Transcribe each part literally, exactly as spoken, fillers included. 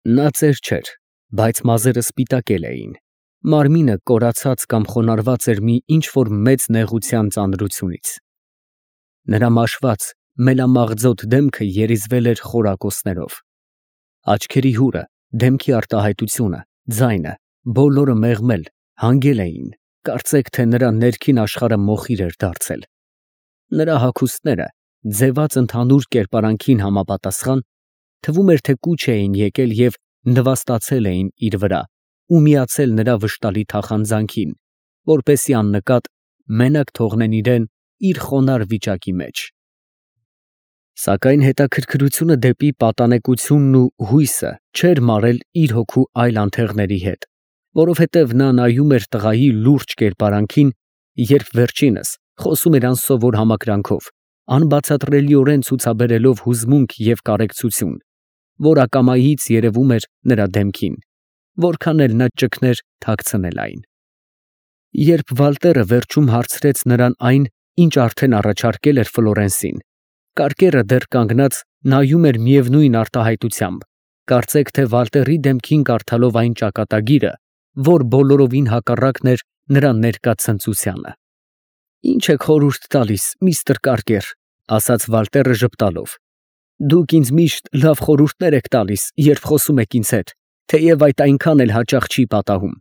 Նա ծեր չէր, բայց մազերը սպիտակել էին, մարմինը կորացած կամ խոնարհված էր մի ինչ֊որ մեծ նեղության ծանրությունից։ Նրա մաշված, մելամաղձոտ դեմքը երիզվել էր խորակոցներով։ Աչքերի հուրը, դեմքի արտահայտությունը, ձայնը, բոլորը մեղմել, հանգել էին, կարծեք թե նրա ներքին աշխարհը մոխիր էր դարձել։ Նրա հագուստները, ձևած ընդհանուր կերպարանքին համապատասխան, թվում էր, թե կուչ էին եկել և նվաստացել էին իր վրա ու միացել նրա վշտալի թախանձանքին, որպեսզի աննկատ մենակ թողնեն իրան իր խոնարհ վիճակի մեջ։ Սակայն հետաքրքրությունը դեպի պատանեկությունն ու հույսը չէր մարել իր հոգու այլ անթեղների հետ, որովհետև նա նայում էր տղայի լուրջ կերպարանքին, երբ վերջինս խոսում էր անսովոր համակրանքով, անբացատրելիորեն ցուցաբերելով հուզմունք և կարեկցություն, որ ակամայից երևում էր նրա դեմքին, որքան էլ նա ճգներ թաքցնել այն։ Երբ Վալտերը վերջում հարցրեց նրան այն, ինչ արդեն առաջարկել էր Ֆլորենսին, կարկերը դեռ կանգնած նայում էր միևնույն արտահայտությամբ, կարծեք թե Վալտերի դեմքին կարդալով այն ճակատագիրը, որ բոլորովին հակառակն էր նրա ներկա ցնծությանը։ «Ի՞նչ եք խորհուրդ տալիս, միստր Կարկեր», ֊ ասաց Վալտերը ժպտալով։ «Դուք ինձ միշտ լավ խորհուրդներ եք տալիս, երբ խոսում եք ինձ հետ, թեև այդ այնքան էլ հաճախ չի պատահում»։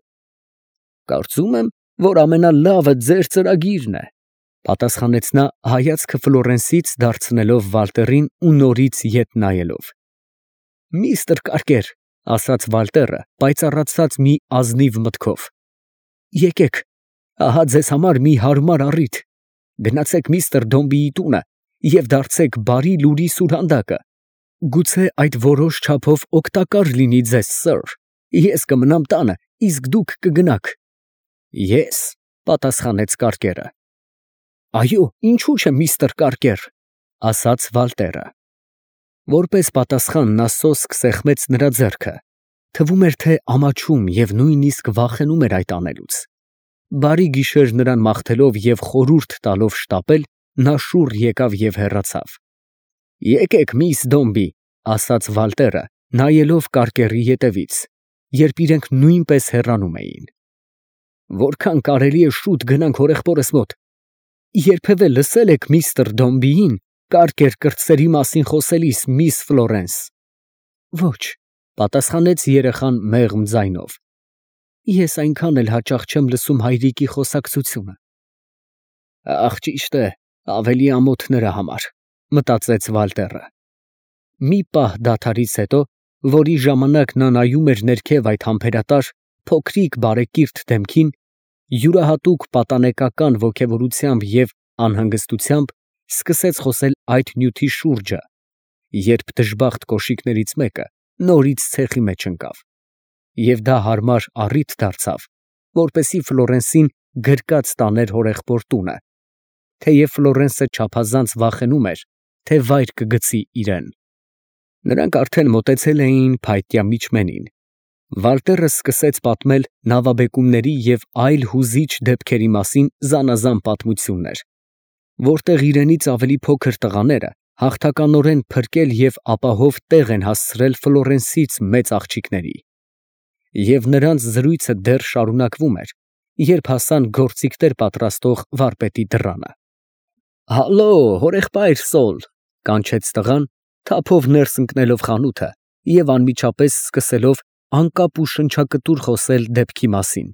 «Կարծում եմ, որ ամենալավը ձեր ծրագիրն է», ֊ պատասխանեց նա, հայացքը Ֆլորենսից դարձնելով Վալտերին ու նորից ետ նայելով։ «Միստր Կարկեր», ֊ ասաց Վալտերը, պայծառացած մի ազնիվ մտքով, եկեք, ահա ձեզ համար մի հարմար առիթ. գնացեք միստր Դոմբիի տունը և դարձեք բարի լուրի սուրհանդակը. գուցե այդ որոշ չափով օգտակար լինի ձեզ, սըր, ես կմնամ տանը, իսկ դուք կգնաք։ Ես, ֊ պատասխանեց Կարկերը։ Այո, ինչու՞ չէ, միստր Կարկեր, ֊ ասաց Վալտերը։ Որպես պատասխան նա սոսկ սեղմեց նրա ձեռքը, թվում էր, թե ամաչում և նույնիսկ վախենում էր այդ անելուց։ Բարի գիշեր նրան մաղթելով և խորհուրդ տալով շտապել, նա շուռ եկավ և հեռացավ։ Եկեք, միս Դոմբի, ֊ ասաց Վալտերը, նայելով Կարկերի ետևից, երբ իրենք նույնպես հեռանում էին։ Որքան կարելի է շուտ գնանք հորեղբորս մոտ։ Երբևէ լսե՞լ եք միստր Դոմբիին կարկեր կրտսերի մասին խոսելիս, միս Ֆլորենս։ Ոչ, ֊ պատասխանեց երեխան մեղմ ձայնով։ Ես այնքան էլ հաճախ չեմ լսում հայրիկի խոսակցությունը։ Ախ, ճիշտ է, ավելի ամոթ նրա համար, ֊ մտածեց Վալտերը։ Մի պահ դադարից հետո, որի ժամանակ նա նայում էր ներքև այդ համբերատար, փոքրիկ բարեկիրթ դեմքին, յուրահատուկ պատանեկական ոգևորությամբ և անհանգստությամբ սկսեց խոսել այդ նյութի շուրջը, երբ դժբախտ կոշիկներից մեկը նորից ցեխի մեջ ընկավ, և դա հարմար առիթ դարձավ, որպեսզի Ֆլորենսին գրկած տաներ հորեղբոր տունը, թեև Ֆլորենսը չափազանց վախենում էր, թե վայր կգցի իրան։ Նրանք արդեն մոտեցել էին փայտյա միջմենին։ Վալտերը սկսեց պատմել նավաբեկումների և այլ հուզիչ դեպքերի մասին զանազան պատմություններ, որտեղ իրենից ավելի փոքր տղաները հաղթականորեն փրկել և ապահով տեղ են հասցրել Ֆլորենսից մեծ աղջիկների։ Եվ նրանց զրույցը դեռ շարունակվում էր, երբ հասան գործիքներ պատրաստող վարպետի դռանը։ Հալո, հորեղբայր Սոլ, ֊ կանչեց տղան, թափով ներս ընկնելով խանութը և անմիջապես սկսելով անկապ ու շնչակտուր խոսել դեպքի մասին։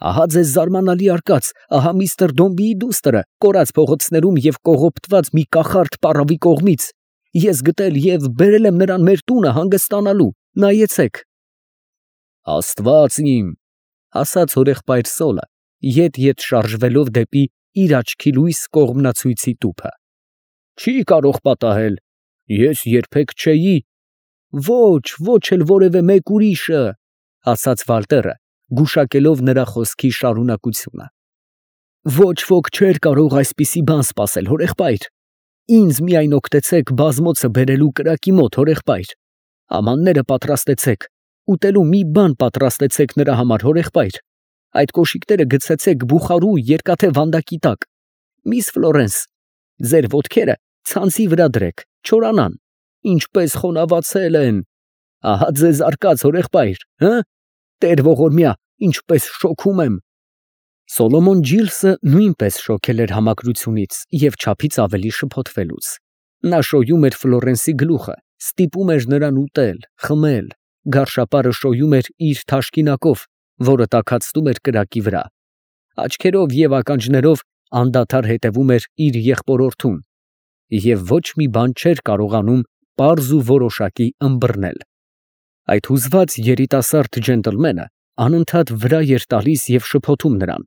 Ահա ձեզ զարմանալի արկած, ահա միստր Դոմբիի դուստրը կորած փողոցներում և կողոպտված մի կախարդ պառավի կողմից ես գտել և բերել եմ նրան մեր տունը հանգստանալու, նայեցեք։ Աստված իմ, ֊ ասաց հորեղբայր Սոլը, ետ֊ետ շարժվելով դեպի իր աչքի լույս կողմնացույցի տուփը։ Չի կարող պատահել, ես երբեք չէի։ Ոչ, ոչ էլ որևէ մեկ ուրիշը, ֊ ասաց Վալտերը, գուշակելով նրա խոսքի շարունակությունը։ Ոչ ոք չէր կարող այսպիսի բան սպասել, հորեղբայր։ Ինձ միայն օգտեցեք բազմոցը բերելու կրակի մոտ, հորեղբայր։ Ամանները պատրաստեցեք, ուտելու մի բան պատրաստեցեք նրա համար, հորեղբայր։ Այդ կոշիկները գցեցեք բուխարու երկաթե վանդակի տակ։ Միս Ֆլորենս, ձեր ոտքերը ցանցի վրա դրեք, չորանան, ինչպես խոնավացել են։ Ահա ձեզ արկած հորեղբայր, հը, տեր ողորմյա, ինչպես շոքում եմ։ Սոլոմոն Ջիլսը նույնպես շոքել էր համակրությունից և չափից ավելի շփոթվելուց. նա շոյում էր Ֆլորենսի գլուխը, ստիպում էր նրան ուտել, խմել, գարշապարը շոյում էր իր թաշկինակով, որը տաքացնում էր կրակի վրա, աչքերով և ականջներով անդադար հետևում էր իր եղբորորդուն և ոչ մի բան չէր կարողանում պարզ ու որոշակի ըմբռնել։ Այդ հուզված երիտասարդ ջենտլմենը անընդհատ վրա էր տալիս և շփոթում նրան,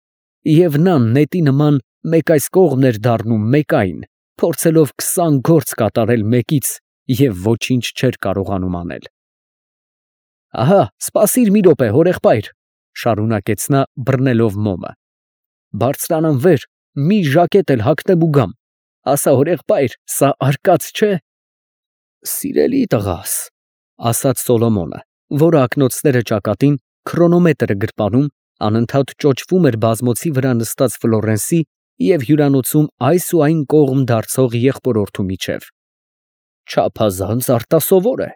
և նա նետի նման մեկ այս կողմն էր դառնում, մեկ այն, փորձելով քսան գործ կատարել մեկից և ոչինչ չէր կարողանում անել։ Ահա, սպասիր մի րոպե, հորեղբայր, շարունակեց նա, բռնելով մոմը, բարձրանամ վեր, մի ժակետ էլ հագնեմ ու գամ, ասա հորեղբայր, սա արկած չէ։ Սիրելի տղաս, ասաց Սոլոմոնը, որը ակնոցները ճակատին քրոնոմետրը գրպանում, անընդհատ ճոճվում էր բազմոցի վրա նստած Ֆլորենսի և հյուրանոցում այս ու այն կողմ դարձող եղբորորդու միջև, չափազանց արտասովոր է։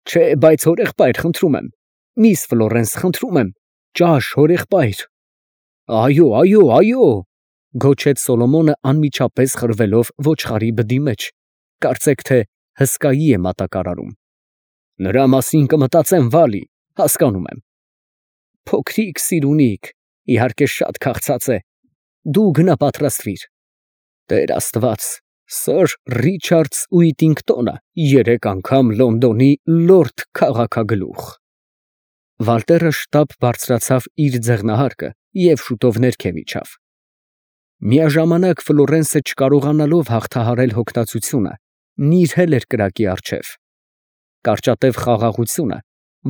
Չէ, բայց հորեղբայր, խնդրում եմ, միս Ֆլորենս, խնդրում եմ, ճաշ, հորեղբայր։ Այո, այո, այո, գոչեց Սոլոմոնը անմիջապես խրվելով ոչխարի բդի մեջ, կարծեք թե հսկայի է մատակարարում։ Նրա մասին կմտածեմ, Վալի, հասկանում եմ։ Փոքրիկ սիրունիկ, իհարկե շատ քաղցած է, դու գնա պատրաստվիր։ Տեր Աստված, սըր Ռիչարդս Ուիտինգտոնը երեք անգամ Լոնդոնի լորդ քաղաքագլուխ։ Վալտերը շտապ բարձրացավ իր ձեղնահարկը և շուտով ներքև իջավ։ Միաժամանակ Ֆլորենսը չկարողանալով հաղթահարել հոգնածությունը, նիրհել էր կրակի առջև։ Կարճատև խաղաղությունը,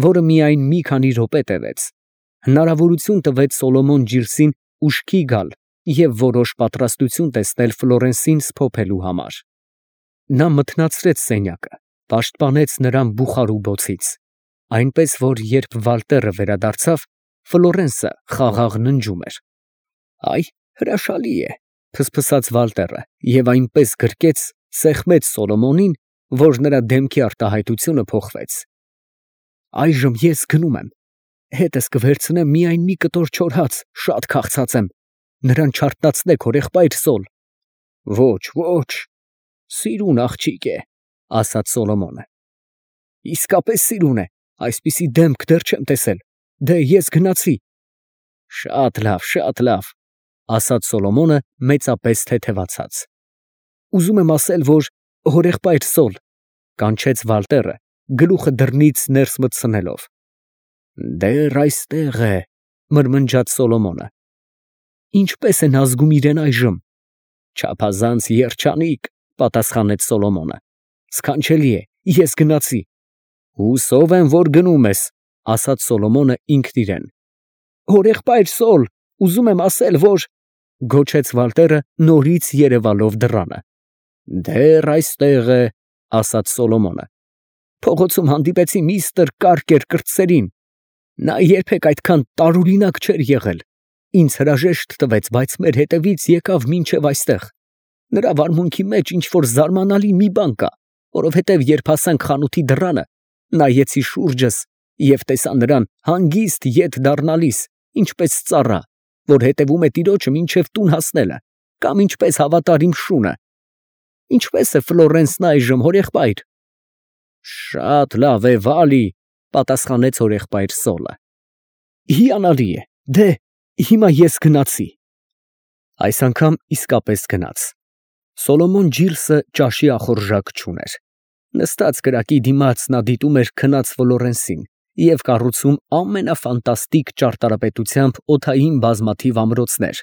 որը միայն մի քանի րոպե տևեց, հնարավորություն տվեց Սոլոմոն Ջիլսին ուշքի գալ և որոշ պատրաստություն տեսնել Ֆլորենսին սփոփելու համար։ Նա մթնացրեց սենյակը, պաշտպանեց նրան բուխարու բոցից, այնպես որ երբ Վալտերը վերադարձավ, Ֆլորենսը խաղաղ ննջում էր։ Այ հրաշալի է, փսփսաց Վալտերը և այնպես գրկեց, սեղմեց Սոլոմոնին, որ նրա դեմքի արտահայտությունը փոխվեց։ Այժմ ես գնում եմ, հետս կվերցնեմ միայն մի կտոր չոր հաց, շատ քաղցած եմ, նրան չարթնացնեք, հորեղբայր Սոլ։ Ոչ, ոչ, սիրուն աղջիկ է, ասաց Սոլոմոնը։ Իսկապես սիրուն է, այսպիսի դեմք դեռ չեմ տեսել, դե ես գնացի։ Շատ լավ, շատ լավ, ասաց Սոլոմոնը մեծապես թեթևացած։ Ուզում եմ ասել, որ հորեղբայր Սոլ, կանչեց Վալտերը, գլուխը դռնից ներս մտցնելով։ Դեռ այստեղ է, մրմնջաց Սոլոմոնը։ Ինչպես են ազգում իրեն այժմ։ Չափազանց երջանիկ, պատասխանեց Սոլոմոնը։ Սքանչելի է, ես գնացի։ Հուսով եմ, որ գնում ես, ասաց Սոլոմոնը ինքն իրեն։ Հորեղբայր Սոլ, ուզում եմ ասել, որ գոչեց Վալտերը նորից երևալով դռանը։ Դեռ այստեղ է, ասաց Սոլոմոնը։ Փողոցում հանդիպեցի միստր Կարկեր կրտսերին։ Նա երբեք այդքան տարօրինակ չէր եղել։ Ինձ հրաժեշտ տվեց, բայց մեր հետևից եկավ մինչև այստեղ։ Նրա վարմունքի մեջ ինչ-որ զարմանալի մի բան կա, որովհետև երբ հասանք խանութի դռանը, նայեցի շուրջս և տեսա նրան հանգիստ ետ դառնալիս, ինչպես ծառա, որ հետևում է տիրոջը մինչև տուն հասնելը, կամ ինչպես հավատար իմ շունը։ Ինչպե՞ս է Ֆլորենսն այժմ, հորեղբայր։ Շատ լավ է, Վալի, պատասխանեց հորեղբայր Սոլը։ Հիանալի է, դե, հիմա ես գնացի։ Այս անգամ իսկապես գնաց։ Սոլոմոն Ջիլսը ճաշի ախորժակ չուներ։ Նստած կրակի դիմաց նա դիտում էր քնած Ֆլորենսին և կառուցում ամենաֆանտաստիկ ճարտարապետությամբ օդային բազմաթիվ ամրոցներ,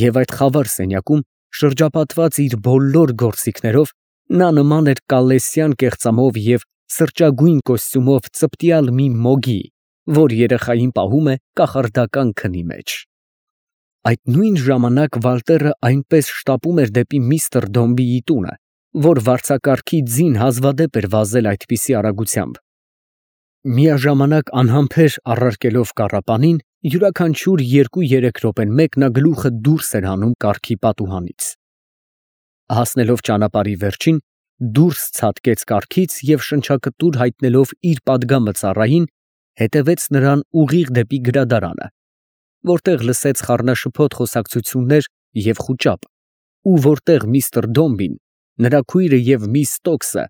և այդ խավար սենյակում, շրջապատված իր բոլոր գործիքներով, նա նման էր կալեսյան կեղծամով և սրճագույն կոստյումով ծպտյալ մի մոգի, որ երեխային պահում է կախարդական քնի մեջ։ Այդ նույն ժամանակ Վալտերը այնպես շտապում էր դեպի միստր Դոմբիի տունը, որ վարձակարգի ձին հազվադեպ էր վազել այդպիսի արագությամբ։ Միաժամանակ անհամբեր առարկելով կառապանին, յուրաքանչյուր երկու֊երեք րոպեն մեկ նա գլուխը դուրս էր հանում կառքի պատուհանից։ Հասնելով ճանապարհի վերջին, դուրս ցատկեց կառքից և շնչակտուր հայտնելով իր պատգամը ծառային, հետևեց նրան ուղիղ դեպի գրադարանը, որտեղ լսեց խառնաշփոթ խոսակցություններ և խուճապ, ու որտեղ միստր Դոմբին, նրա քույրը և միս Ստոքսը,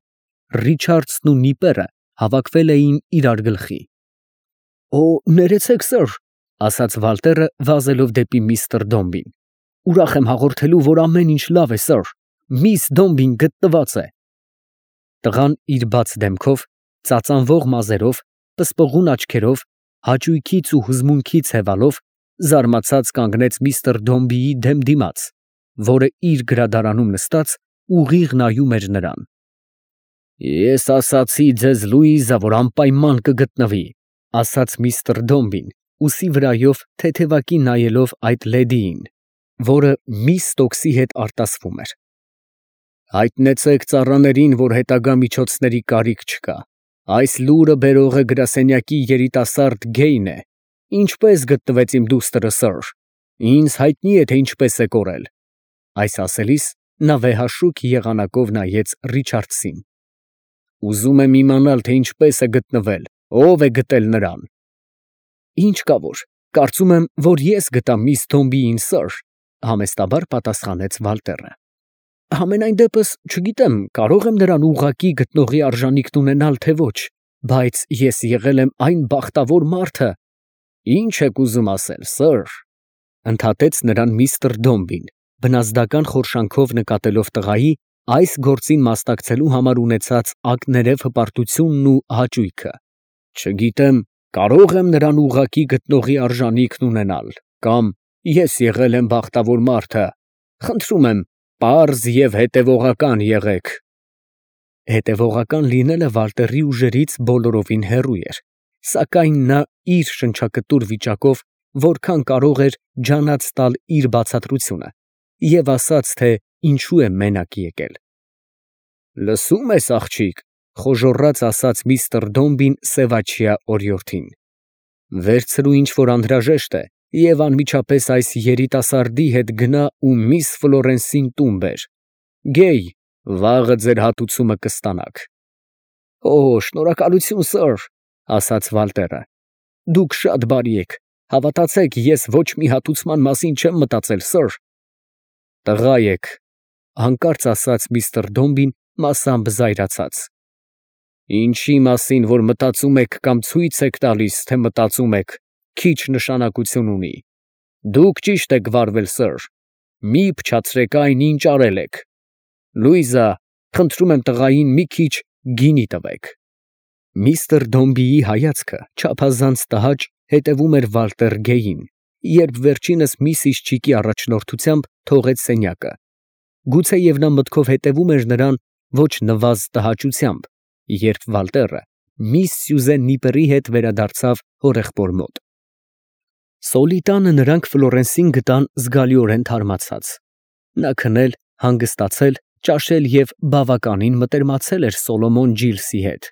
Ռիչարդսն ու Նիպերը հավաքվել էին իրար գլխի։ ֊ Օ, ներեցեք, սըր, ֊ ասաց Վալտերը, վազելով դեպի միստր Դոմբին. ֊ ուրախ եմ հաղորդելու, որ ամեն ինչ լավ է, սըր, միս Դոմբին գտնված է։ Տղան իր բաց դեմքով, ծածանվող մազերով, պսպղուն աչքերով, հաճույքից ու հուզմունքից հևալով, զարմացած կանգնեց միստր Դոմբիի դեմ դիմաց, որը իր գրադարանում նստած ուղիղ նայում էր նրան։ ֊ Ես ասացի ձեզ, Լուիզա, որ անպայման կգտնվի, ֊ ասաց միստր Դոմբին, ուսի վրայով թեթևակի նայելով այդ լեդիին, որը միս Ստոքսի հետ արտասվում էր։ ֊ Հայտնեցեք ծառաներին, որ հետագա միջոցների կարիք չկա. այս լուրը բերողը գրասենյակի երիտասարդ Գեյն է, ինչպես գտնվեց իմ դուստրը, սըր, ինձ հայտնի է, թե ինչպես է կորել։ Այս ասելիս նա վեհաշուք եղանակով նայեց Ռիչարդսին։ Ուզում եմ իմանալ, թե ինչպես է գտնվել, ով է գտել նրան։ Ինչ կա որ, կարծում եմ, որ ես գտամ միս Դոմբիին, սըր, ֊ համեստաբար պատասխանեց Վալտերը։ Համենայն դեպս, չգիտեմ, կարող եմ նրան ուղղակի գտնողի արժանիքն ունենալ, թե ոչ, բայց ես եղել եմ այն բախտավոր մարդը։ Ինչ եք ուզում ասել, սըր, ֊ ընդհատեց նրան միստր Դոմբին, բնազդական խորշանքով նկատելով տղայի այս գործին մասնակցելու համար ունեցած ակներև հպարտությունն ու հաճույքը։ Չգիտեմ, կարող եմ նրան ուղղակի գտնողի արժանիքն ունենալ, կամ ես եղել եմ բախտավոր մարդը, խնդրում եմ, պարզ և հետևողական եղեք։ Հետևողական լինելը Վալտերի ուժերից բոլորովին հեռու էր, սակայն նա իր շնչակտուր վիճակով որքան կարող էր ջանած տալ իր բացատրությունը և ասաց, թե ինչու է մենակ եկել։ Լսո՞ւմ ես, աղջիկ, ֊ խոժոռաց ասաց միստր Դոմբին սևաչյա օրիորդին, վերցրու ինչ որ անհրաժեշտ է և անմիջապես այս երիտասարդի հետ գնա ու միս Ֆլորենսին տուն բեր։ Գեյ, վաղը ձեր հատուցումը կստանաք։ Օ, շնորհակալություն, սըր, ֊ ասաց Վալտերը, դուք շատ բարի եք, հավատացեք, ես ոչ մի հատուցման մասին չեմ մտածել, սըր։ Տղա եք, ֊ հանկարծ ասաց միստր Դոմբին մասամբ զայրացած։ Ինչի մասին որ մտածում եք կամ ցույց եք տալիս, թե մտածում եք, քիչ նշանակություն ունի։ Դուք ճիշտ եք վարվել, սըր, մի փչացրեք այն, ինչ արել եք։ Լուիզա, խնդրում եմ տղային մի քիչ գինի տվեք։ Միստր Դոմբիի հայացքը չափազանց տհաճ հետևում էր Վալտեր Գեյին, երբ վերջինս միսիս Չիկի առաջնորդությամբ թողեց սենյակը։ Գուցեև նա մտքով հետևում էր նրան ոչ նվազ տհաճությամբ, երբ Վալտերը միս Սյուզեն Նիպերի հետ վերադարձավ հորեղբոր մոտ։ Սոլի տանը նրանք Ֆլորենսին գտան զգալիորեն թարմացած։ Նա քնել, հանգստացել, ճաշել և բավականին մտերմացել էր Սոլոմոն Ջիլսի հետ,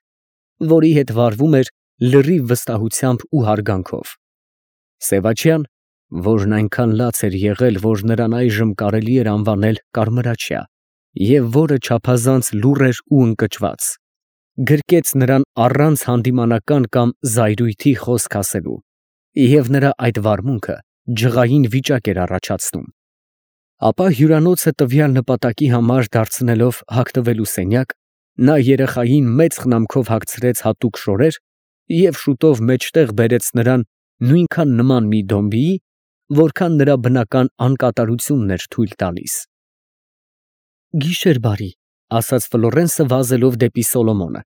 որի հետ վարվում էր լրիվ վստահությամբ ու հարգանքով։ Սևաչյան, որն այնքան լաց էր եղել, որ նրան այժմ կարելի էր անվանել կարմրաչյա, և որը չափազանց լուռ էր ու ընկճված, գրկեց նրան առանց հանդիմանական կամ զայրույթի խոսք ասելու, և նրա այդ վարմունքը ջղային վիճակ էր առաջացնում։ Ապա հյուրանոցը տվյալ նպատակի համար դարձնելով հագնվելու սենյակ, նա երեխային մեծ խնամքով հագցրեց հատուկ շորեր և շուտով մեջտեղ բերեց նրան նույնքան նման մի Դոմբիի, որքան նրա բնական անկատարությունն էր թույլ տալիս։ Գիշեր բարի, ֊ ասաց Ֆլորենսը վազելով դեպի Սոլոմոնը,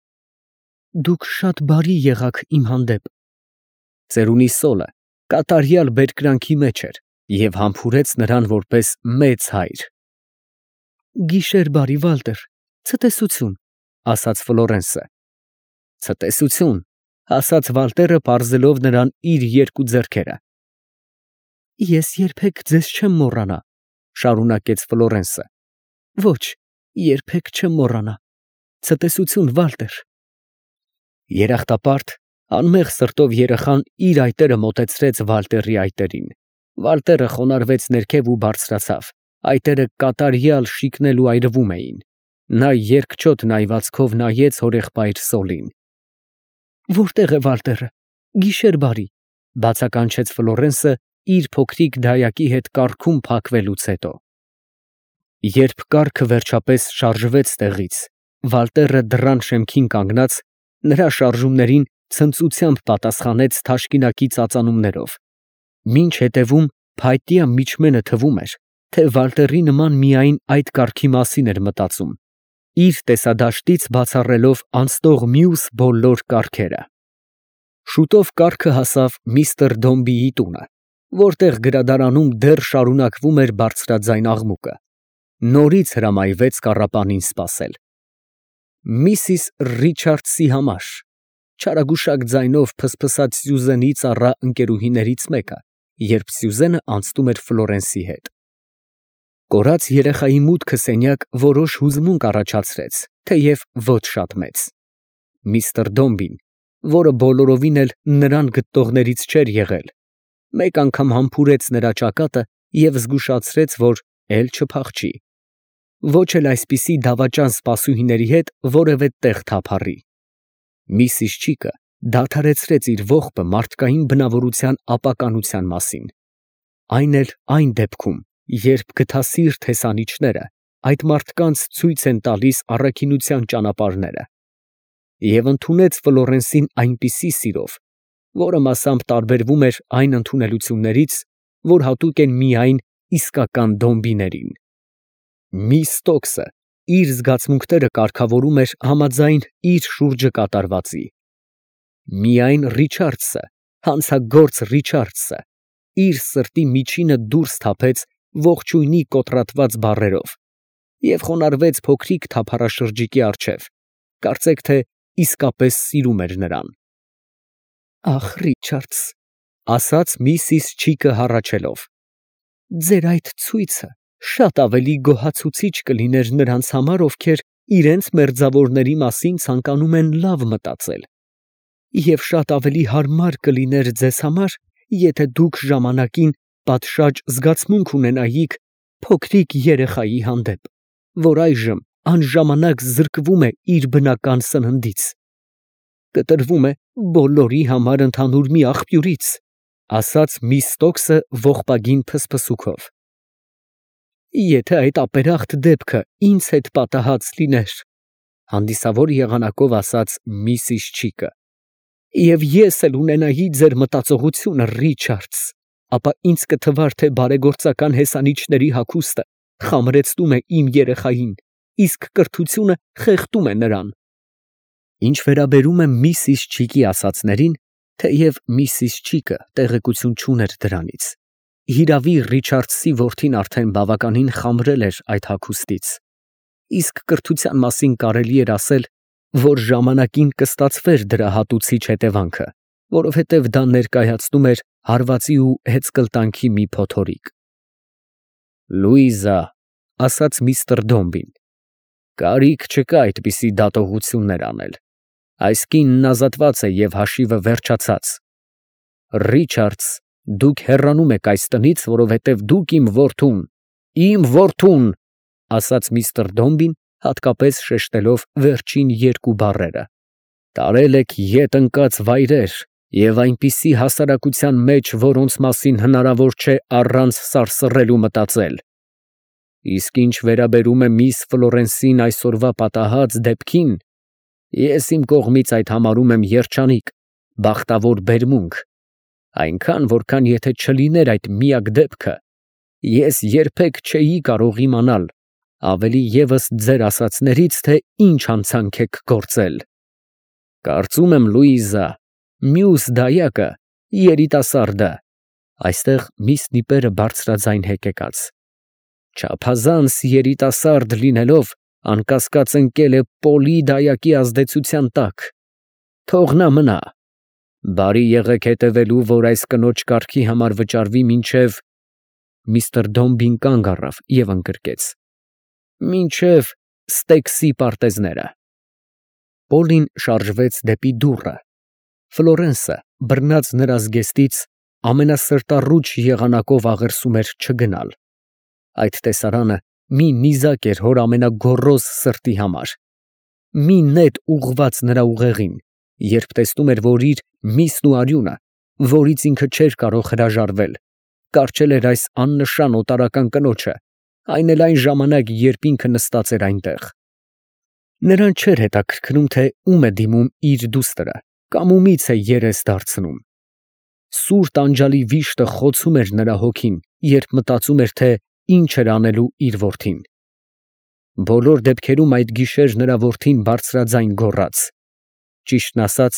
դուք շատ բարի եղաք իմ հանդեպ։ Ծերունի Սոլը կատարյալ բերկրանքի մեջ էր և համբուրեց նրան որպես մեծ հայր։ Գիշեր բարի, Վալտեր, ցտեսություն, ֊ ասաց Ֆլորենսը։ Ցտեսություն, ֊ ասաց Վալտերը, պարզելով նրան իր երկու ձեռքերը։ Ես երբեք ձեզ չեմ մոռանա, ֊ շարունակեց Ֆլորենսը։ Ոչ, երբեք չեմ մոռանա։ Ցտեսություն, Վալտեր։ Երախտապարտ, անմեղ սրտով երեխան իր այտերը մոտեցրեց Վալտերի այտերին։ Վալտերը խոնարհվեց ներքև ու բարձրացավ, այտերը կատարյալ շիկնել ու այրվում էին։ Նա երկչոտ նայվածքով նայեց հորեղբայր Սոլին։ Որտե՞ղ է Վալտերը, գիշեր բարի, բացականչեց Ֆլորենսը իր փոքրիկ դայակի հետ կառքում փակվելուց հետո։ Երբ կառքը վերջապես շարժվեց տեղից, Վալտերը դռան շեմքին կանգնած, նրա շարժումներին ցնծությամբ պատասխանեց թաշկինակի ծածանումներով, մինչ հետևում փայտյա միջմենը թվում էր, թե Վալտերի նման միայն այդ կառքի մասին էր մտածում, իր տեսադաշտից բացառելով անցնող մյուս բոլոր կառքերը։ Շուտով կառքը հասավ միստր Դոմբիի տունը, որտեղ գրադարանում դեռ շարունակվում էր բարձրաձայն աղմուկը։ Նորից հրամայվեց կառապանին սպասել։ Միսիս Ռիչարդսի համար, չարագուշակ ձայնով փսփսաց Սյուզենի ծառա ընկերուհիներից մեկը, երբ Սյուզենը անցնում էր Ֆլորենսի հետ։ Կորած երեխայի մուտքը սենյակ որոշ հուզմունք առաջացրեց, թեև ոչ շատ մեծ։ Միստր Դոմբին, որը բոլորովին էլ նրան գտտողներից չէր եղել, մեկ անգամ համբուրեց նրա ճակատը և զգուշացրեց, որ էլ չփախչի, ոչ էլ այսպիսի դավաճան սպասուհիների հետ որևէ տեղ թափառի։ Միսիս Չիկը դադարեցրեց իր ողբը մարդկային բնավորության ապականության մասին, այն էլ այն դեպքում, երբ գթասիրտ հեսանիչները այդ մարդկանց ցույց են տալիս առաքինության ճանապարհները, և ընդունեց Ֆլորենսին այնպիսի սիրով, որը մասամբ տարբերվում էր այն ընդունելություններից, որ հատուկ են միայն իսկական դոմբիներին։ Միս Ստոքսը իր զգացմունքները կարգավորում էր համաձայն իր շուրջը կատարվածի։ Միայն Ռիչարդսը, հանցագործ Ռիչարդսը, իր սրտի միջինը դուրս թափեց ողջույնի կոտրատված բառերով և խոնարհվեց փոքրիկ թափառաշրջիկի առջև, կարծեք թե իսկապես սիրում էր նրան։ Ախ, Ռիչարդս, ասաց միսիս Չիկը հառաչելով, ձեր այդ ցույցը շատ ավելի գոհացուցիչ կլիներ նրանց համար, ովքեր իրենց մերձավորների մասին ցանկանում են լավ մտածել, և շատ ավելի հարմար կլիներ ձեզ համար, եթե դուք ժամանակին պատշաճ զգացմունք ունենայիք փոքրիկ երեխայի հանդեպ, որ այժմ անժամանակ զրկվում է իր բնական սննդից, կտրվում է բոլորի համար ընդհանուր մի աղբյուրից, ասաց միս Ստոքսը ողբագին փսփսուքով։ Եթե այդ ապերախտ դեպքը ինձ հետ պատահած լիներ, հանդիսավոր եղանակով ասաց միսիս Չիկը, և ես էլ ունենայի ձեր մտածողությունը, Ռիչարդս, ապա ինձ կթվար, թե բարեգործական հեսանիչների հագուստը խամրեցնում է իմ երեխային, իսկ կրթությունը խեղդում է նրան։ Ինչ վերաբերում է միսիս Չիկի ասածներին, թեև միսիս Չիկը տեղեկություն չուներ դրանից, հիրավի Ռիչարդսի որդին արդեն բավականին խամրել էր այդ հագուստից, իսկ կրթության մասին կարելի էր ասել, որ ժամանակին կստացվեր դրա հատուցիչ հետևանքը, որովհետև դա ներկայացնում էր հարվածի ու հեծկլտանքի մի փոթորիկ։ Լուիզա, ասաց միստր Դոմբին, կարիք չկա այդպիսի դատողություններ անել, այս կինն ազատված է և հաշիվը վերջացած։ Ռիչարդս, դուք հեռանում եք այս տնից, որովհետև դուք իմ որդուն, իմ որդուն, ասաց միստր Դոմբին, հատկապես շեշտելով վերջին երկու բառերը, տարել եք ետ ընկած վայրեր և այնպիսի հասարակության մեջ, որոնց մասին հնարավոր չէ առանց սարսռելու մտածել։ Իսկ ինչ վերաբերում է միս Ֆլորենսին այսօրվա պատահած դեպքին, ես իմ կողմից այդ համարում եմ երջանիկ, բախտավոր բերմունք, այնքան, որքան եթե չլիներ այդ միակ դեպքը, ես երբեք չէի կարող իմանալ, ավելի ևս ձեր ասածներից, թե ինչ հանցանք եք գործել։ Կարծում եմ, Լուիզա, մյուս դայակը, երիտասարդը, այստեղ միս նիպերը բարձրաձայն հեկեկաց, չափազանց երիտասարդ լինելով, անկասկած ընկել է Պոլի դայակի ազդեցության տակ, թող նա մնա, բարի եղեք հետևելու, որ այս կնոջ կարգի համար վճարվի մինչև… Միստր Դոմբին կանգ առավ և ընկրկեց. Մինչև Ստեքսի պարտեզները։ Պոլին շարժվեց դեպի դուռը, Ֆլորենսը բռնած նրա զգեստից ամենասրտառուչ եղանակով աղերսում էր չգնալ։ Այդ տեսարանը մի նիզակ էր հոր ամենագոռոզ սրտի համար, մի նետ ուղղված նրա ուղեղին, երբ տեսնում էր, որ իր միսն ու արյունը, որից ինքը չէր կարող հրաժարվել, կառչել էր այս աննշան օտարական կնոջը, այն էլ այն ժամանակ, երբ ինքը նստած էր այնտեղ։ Նրան չէր հետաքրքրում, թե ում է դիմում իր դուստրը կամ ումից է երես դարձնում։ Սուր տանջալի վիշտը խոցում էր նրա հոգին, երբ մտածում էր, թե ինչ էր անելու իր որդին։ Բոլոր դեպքերում այդ գիշեր նրա որդին բարձրաձայն գոռաց. ճիշտն ասած,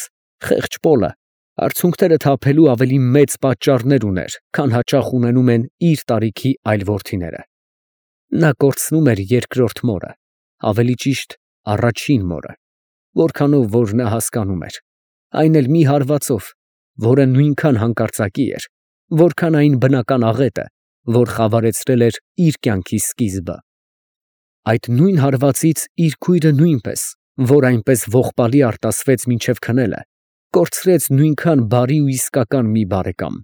խեղճ Պոլը արցունքները թափելու ավելի մեծ պատճառներ ուներ, քան հաճախ ունենում են իր տարիքի այլ որդիները։ Նա կորցնում էր երկրորդ մորը, ավելի ճիշտ առաջին մորը, որքանով որ նա հասկանում էր, այն էլ մի հարվածով, որը նույնքան հանկարծակի էր, որքան այն բնական աղետը, որ խավարեցրել էր իր կյանքի սկիզբը։ Այդ նույն հարվածից իր քույրը նույնպես, որ այնպես ողբալի արտասվեց մինչև քնելը, կորցրեց նույնքան բարի ու իսկական մի բարեկամ։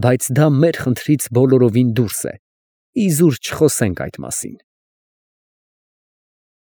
Բայց դա մեր խնդրից բոլորովին դուրս է, իզուր չխոսենք այդ մասին։